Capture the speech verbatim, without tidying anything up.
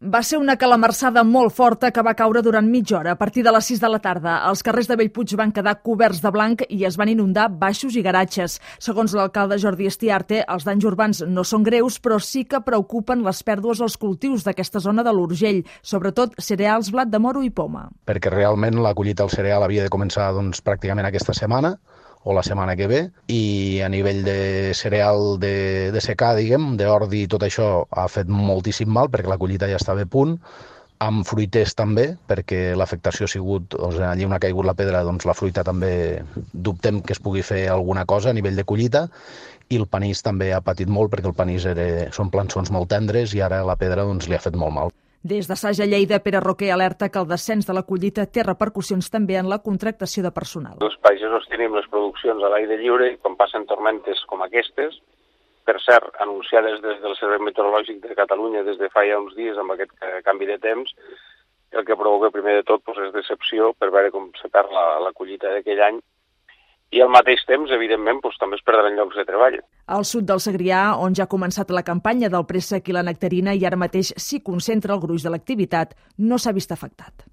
Va ser una calamarsada molt forta que va caure durant mitja hora. A partir de les sis de la tarda, els carrers de Bellpuig van quedar coberts de blanc i es van inundar baixos i garatges. Segons l'alcalde Jordi Estiarte, els danys urbans no són greus, però sí que preocupen les pèrdues als cultius d'aquesta zona de l'Urgell, sobretot cereals, blat de moro i poma. Perquè realment la collita del cereal havia de començar doncs, pràcticament aquesta setmana, o la setmana que ve, i a nivell de cereal de, de secà, diguem, d'ordi i tot això ha fet moltíssim mal perquè la collita ja estava a punt, amb fruiters també, perquè l'afectació ha sigut, doncs, allí on ha caigut la pedra, doncs la fruita també dubtem que es pugui fer alguna cosa a nivell de collita, i el panís també ha patit molt perquè el panís era, són plançons molt tendres i ara la pedra doncs, li ha fet molt mal. Des de Saja Lleida, Pere Roquer alerta que el descens de la collita té repercussions també en la contractació de personal. Els pagesos tenim les produccions a l'aire lliure i quan passen tormentes com aquestes, per cert, anunciades des del Servei Meteorològic de Catalunya des de fa ja uns dies amb aquest canvi de temps, el que provoca primer de tot doncs, és decepció per veure com se perd la, la collita d'aquell any i al mateix temps, evidentment, doncs, també es perdran llocs de treball. Al sud del Segrià, on ja ha començat la campanya del préssec i la nectarina i ara mateix s'hi concentra el gruix de l'activitat, no s'ha vist afectat.